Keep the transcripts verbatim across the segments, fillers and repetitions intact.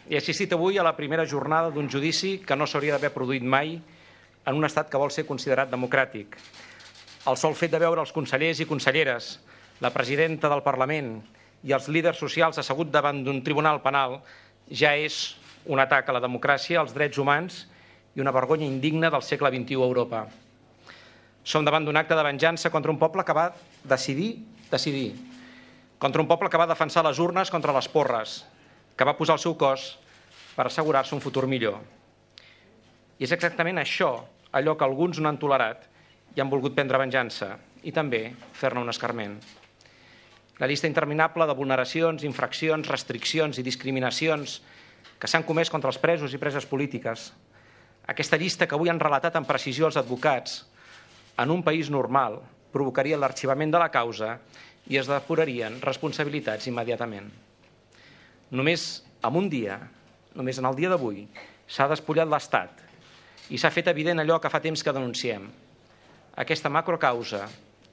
He assistit avui a la primera jornada d'un judici que no s'hauria d'haver produït mai en un estat que vol ser considerat democràtic. El sol fet de veure els consellers i conselleres, la presidenta del Parlament i els líders socials asseguts davant d'un tribunal penal ja és un atac a la democràcia, als drets humans i una vergonya indigna del segle vint-i-u a Europa. Som davant d'un acte de venjança contra un poble que va decidir, decidir, contra un poble que va defensar les urnes contra les porres, que va posar el seu cos per assegurar-se un futur millor. I és exactament això, allò que alguns no han tolerat i han volgut prendre venjança i també fer-ne un escarment. La llista interminable de vulneracions, infraccions, restriccions i discriminacions que s'han comès contra els presos i preses polítiques. Aquesta llista que avui han relatat amb precisió els advocats en un país normal provocaria l'arxivament de la causa i es depurarien responsabilitats immediatament. Només en un dia, només en el dia d'avui, s'ha despullat l'Estat i s'ha fet evident allò que fa temps que denunciem. Aquesta macrocausa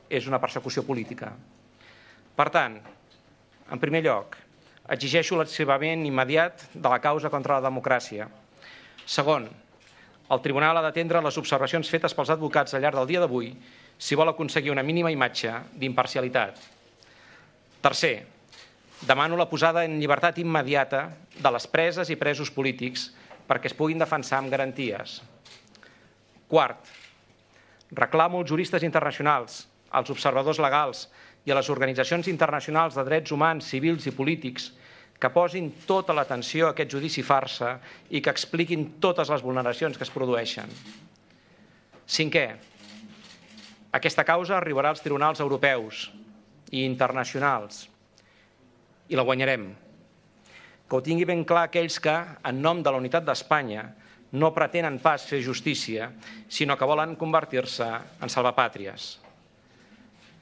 és una persecució política. Per tant, en primer lloc, exigeixo l'arxivament immediat de la causa contra la democràcia. Segon, el tribunal ha d'atendre les observacions fetes pels advocats al llarg del dia d'avui si vol aconseguir una mínima imatge d'imparcialitat. Tercer, demano la posada en llibertat immediata de les preses i presos polítics perquè es puguin defensar amb garanties. Quart, reclamo als juristes internacionals, als observadors legals i a les organitzacions internacionals de drets humans, civils i polítics que posin tota l'atenció a aquest judici farsa i que expliquin totes les vulneracions que es produeixen. Cinquè, aquesta causa arribarà als tribunals europeus i internacionals i la guanyarem. Que ho tingui ben clar aquells que, en nom de la unitat d'Espanya, no pretenen pas fer justícia, sinó que volen convertir-se en salvapàtries.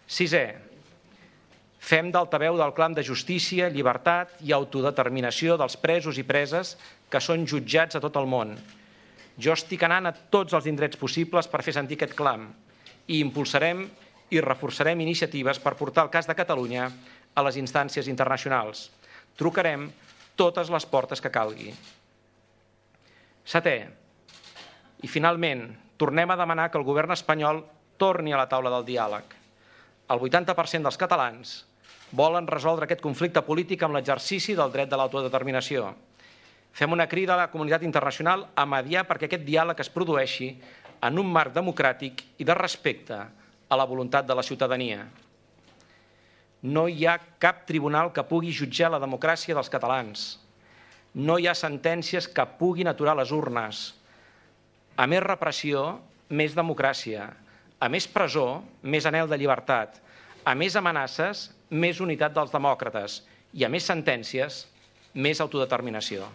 Sisè, fem d'altaveu del clam de justícia, llibertat i autodeterminació dels presos i preses que són jutjats a tot el món. Jo estic anant a tots els indrets possibles per fer sentir aquest clam i impulsarem i reforçarem iniciatives per portar el cas de Catalunya a les instàncies internacionals. Trucarem totes les portes que calgui. Setè, i finalment, tornem a demanar que el govern espanyol torni a la taula del diàleg. El vuitanta per cent dels catalans volen resoldre aquest conflicte polític amb l'exercici del dret de l'autodeterminació. Fem una crida a la comunitat internacional a mediar perquè aquest diàleg es produeixi en un marc democràtic i de respecte a la voluntat de la ciutadania. No hi ha cap tribunal que pugui jutjar la democràcia dels catalans. No hi ha sentències que puguin aturar les urnes. A més repressió, més democràcia. A més presó, més anhel de llibertat. A més amenaces, més unitat dels demòcrates. I a més sentències, més autodeterminació.